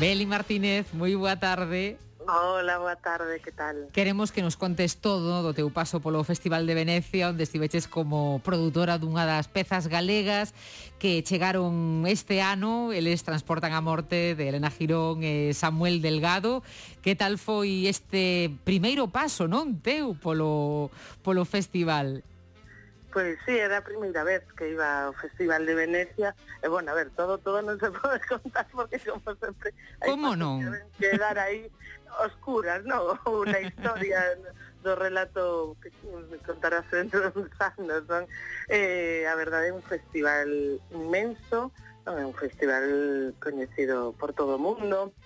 Beli Martínez, moi boa tarde. Hola, boa tarde, que tal? Queremos que nos contes todo do teu paso polo Festival de Venecia, onde estiveches como produtora dunha das pezas galegas que chegaron este ano. Eles transportan a morte de Elena Girón e Samuel Delgado. Que tal foi este primeiro paso, non, teu polo festival? Pois sí, era a primeira vez que iba ao Festival de Venecia. E, bueno, a ver, todo non se pode contar porque, como sempre, como non? Que quedar aí oscuras, non? Unha historia do relato que contarás dentro de uns anos, non? A verdade é un festival inmenso, non? É un festival coñecido por todo o mundo,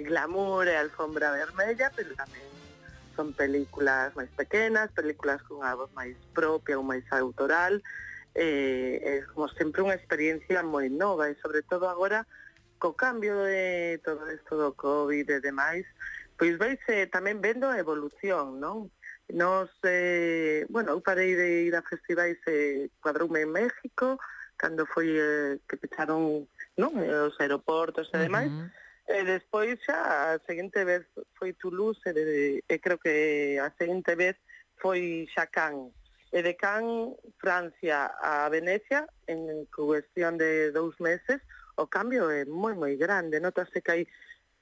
glamour e alfombra vermella, pero tamén son películas máis pequenas, películas con unha voz máis propia ou máis autoral. É como sempre unha experiencia moi nova e sobre todo agora co cambio de todo isto do COVID e demais, pois veise tamén vendo a evolución, non? Nos, bueno, eu parei de ir a festivais cuadroume en México cando foi que pecharon, non, os aeroportos e demais. E despois xa a seguinte vez foi Toulouse e creo que a seguinte vez foi xa Cannes. E de Cannes, Francia a Venecia, en cuestión de 2 meses, o cambio é moi grande. Notase que hai,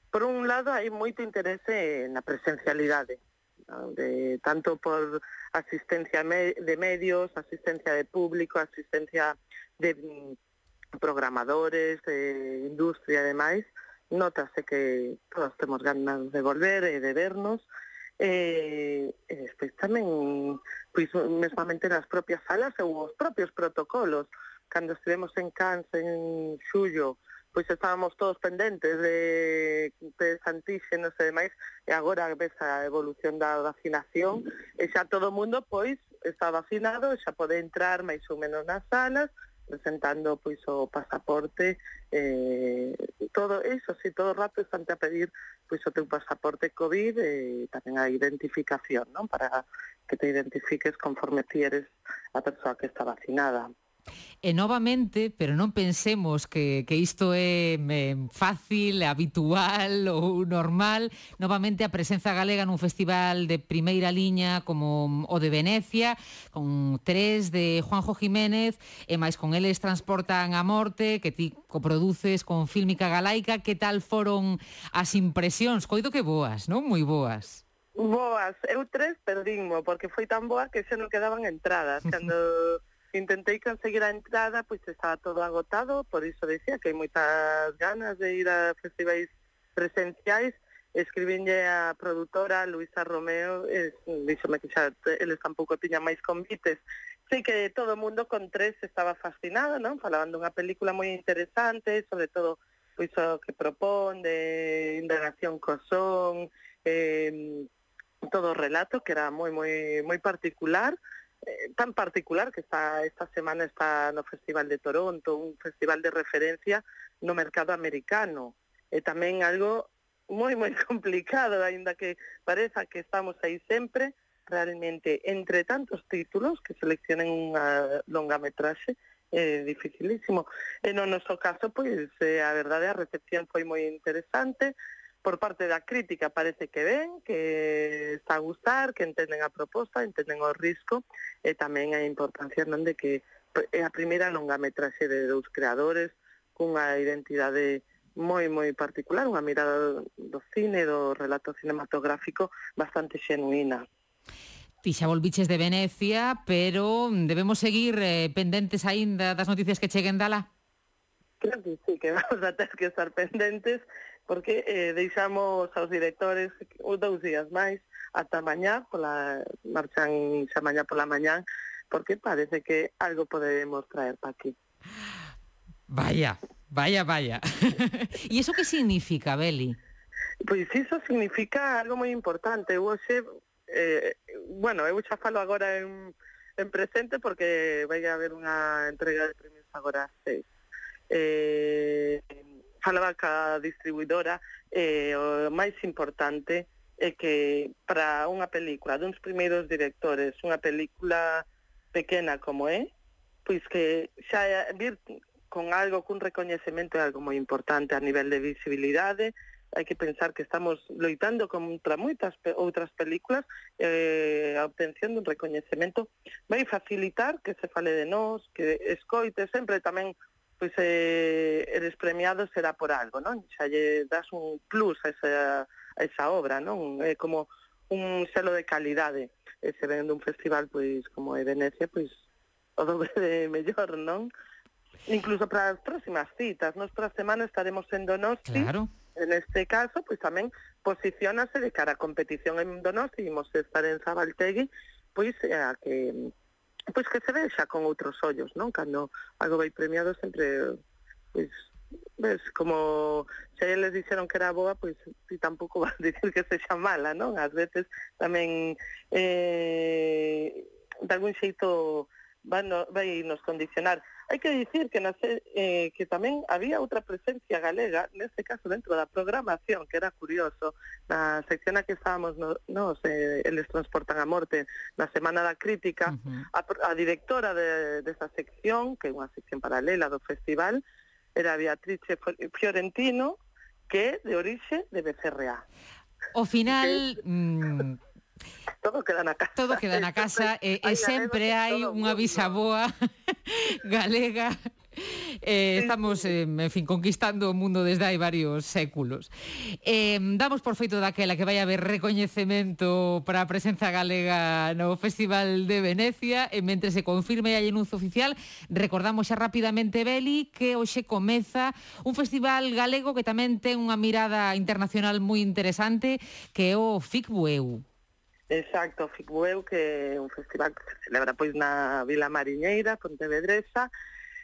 por un lado, hai moito interese na presencialidade, ¿no? Tanto por asistencia de medios, asistencia de público, asistencia de programadores, de industria e demais. Notase que todos temos ganas de volver e de vernos, e despois tamén, pois, mesmamente nas propias salas ou os propios protocolos. Cando estivemos en Cannes en xullo, pois estábamos todos pendentes de antíxenos e demais, e agora ves a evolución da vacinación, e xa todo o mundo, pois, está vacinado, xa pode entrar máis ou menos nas salas, presentando pois o pasaporte, todo eso, si todo o rato están a pedir pois o teu pasaporte COVID e tamén a identificación, non? Para que te identifiques conforme ti eres a persoa que está vacinada. E novamente, pero non pensemos que isto é fácil, habitual ou normal, novamente a presenza galega nun festival de primeira liña como o de Venecia, con 3 de Juanjo Jiménez, e máis con eles transportan a morte, que ti coproduces con Fílmica Galaica. Que tal foron as impresións? Coido que boas, non? Moi boas. Boas, eu 3 perdinmo, porque foi tan boa que xa non quedaban entradas. Cando intentei conseguir a entrada, pois estaba todo agotado, por iso decía que hai moitas ganas de ir a festivais presenciais. Escribinlle a produtora Luisa Romeo, díxome que xa eles tampouco tiñan máis convites. Sei que todo o mundo con 3 estaba fascinado, non? Falaban dunha película moi interesante, sobre todo pois o que propón de indagación co son, todo o relato que era moi particular, tan particular que esta semana está no Festival de Toronto, un festival de referencia no mercado americano, e tamén algo moi complicado, aínda que pareza que estamos aí sempre. Realmente, entre tantos títulos que seleccionen unha longametraxe, é dificilísimo. E no noso caso, pois, a verdade, a recepción foi moi interesante. Por parte da crítica parece que ben, que está a gustar, que entenden a proposta, entenden o risco, e tamén a importancia, non, de que é a primeira longametraxe de 2 creadores cunha identidade moi particular, unha mirada do cine, do relato cinematográfico bastante xenuína. Ti xa volviches de Venecia, pero debemos seguir pendentes aínda das noticias que cheguen dala? Creo que sí, que vamos a ter que estar pendentes, porque deixamos aos directores 2 días máis, ata mañá, marchan xa mañá pola mañá, porque parece que algo podemos traer para aquí. Vaya. E iso que significa, Beli? Pois iso significa algo moi importante. Eu hoxe, bueno, eu xa falo agora en presente, porque vai haber unha entrega de premios agora ás 6. Falaba ca distribuidora, o máis importante é que para unha película duns primeiros directores, unha película pequena como é, pois que xa vir con algo, cun recoñecemento é algo moi importante a nivel de visibilidade. Hai que pensar que estamos loitando contra moitas outras películas, a obtención dun recoñecemento vai facilitar que se fale de nós, que escoite sempre tamén, pois eres premiado será por algo, non? Xa lle das un plus a esa obra, non? É como un selo de calidade, e se ven dun festival pois como é Venecia, pois o dobre de mellor, non? Incluso para as próximas citas, nos para a semana estaremos en Donosti. Claro. En este caso, pois tamén posiciónase de cara a competición en Donosti, imos estar en Zabaltegui, pois a que se vexa con outros ollos, non? Cando algo vai premiado sempre, pois, ves, como se eles dixeron que era boa, pois ti tampouco vas a dicir que sexa mala, non? Ás veces tamén de algún xeito vai nos condicionar. Hai que dicir que que tamén había outra presencia galega, neste caso dentro da programación, que era curioso, na sección na que estábamos eles transportan a morte, na Semana da Crítica, a directora desa sección, que é unha sección paralela do festival, era Beatrice Fiorentino, que é de orixe de Becerreá. Ao final... Todo queda na casa. Todo queda na casa e sempre hai unha bisaboa galega. Estamos, en fin, conquistando o mundo desde hai varios séculos. Damos por feito daquela que vai haber recoñecemento para a presenza galega no Festival de Venecia, e mentre se confirme a anuncio oficial, recordamos xa rapidamente, Beli, que hoxe comeza un festival galego que tamén ten unha mirada internacional moi interesante, que é o FICBUEU. Exacto, FICBUEU, que é un festival que se celebra pois na Vila Mariñeira, Pontevedresa.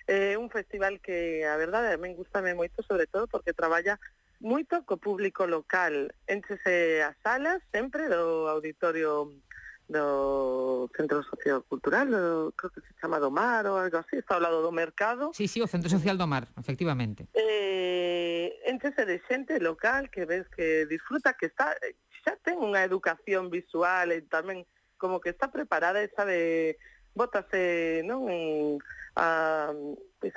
É un festival que, a verdade, a min gustame moito, sobre todo porque traballa moito co público local. Énchese as salas sempre do auditorio do Centro Sociocultural, creo que se chama do Mar ou algo así, está ao lado do mercado. Sí, o Centro Social do Mar, efectivamente. Énchese de xente local que ves que disfruta, que está... xa ten unha educación visual e tamén como que está preparada e sabe, bótase, non, a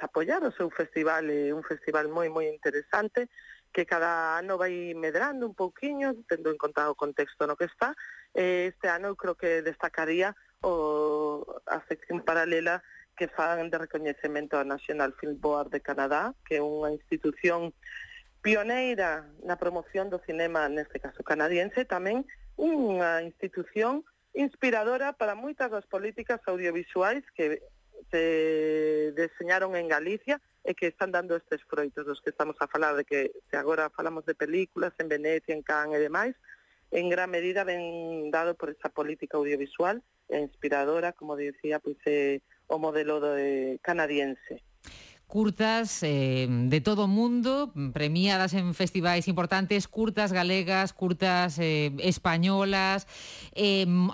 apoiar o seu festival, é un festival moi moi interesante que cada ano vai medrando un pouquiño, tendo en conta o contexto no que está. Este ano eu creo que destacaría a sección paralela que fan de recoñecemento a National Film Board de Canadá, que é unha institución pioneira na promoción do cinema, neste caso canadiense, tamén unha institución inspiradora para moitas das políticas audiovisuais que se deseñaron en Galicia e que están dando estes froitos dos que estamos a falar, de que se agora falamos de películas en Venecia, en Cannes e demais, en gran medida ven dado por esa política audiovisual e inspiradora, como dicía, pois o modelo canadiense. Curtas de todo o mundo, premiadas en festivais importantes, curtas galegas, curtas españolas,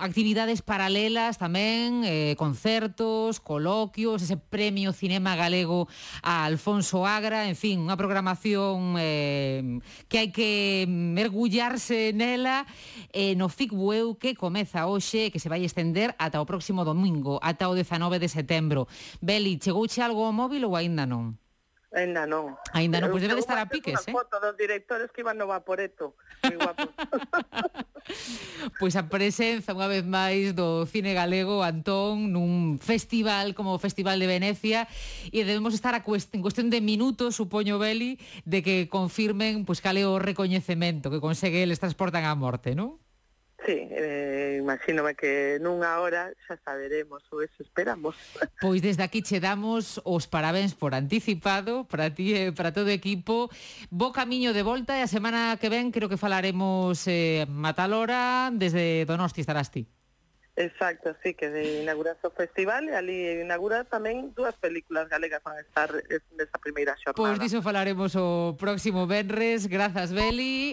actividades paralelas tamén, concertos, coloquios, ese premio Cinema Galego a Alfonso Agra, en fin, unha programación que hai que mergullarse nela no FICBUEU, que comeza hoxe, que se vai estender ata o próximo domingo, ata o 19 de setembro. Beli, chegouche algo ao móvil ou aínda non? Ainda non. Ainda non, pois debe de estar a piques, unha foto dos directores que iban no Vaporeto. Moi guapos. Pois a presenza, unha vez máis, do cine galego, Antón, nun festival como o Festival de Venecia, e debemos estar en cuestión de minutos, supoño, Beli, de que confirmen pois cal é o recoñecemento que consegue eles transportan á morte, non? Sí, imagínome que nunha hora xa saberemos, ou eso esperamos. Pois desde aquí che damos os parabéns por anticipado, para ti e para todo o equipo. Bo camiño de volta, e a semana que ven creo que falaremos matalora, desde Donosti estarás ti. Exacto, sí, que inaugurase o festival, e ali inaugura tamén dúas películas galegas van a estar nesa primeira xornada. Pois diso falaremos o próximo venres. Grazas, Beli.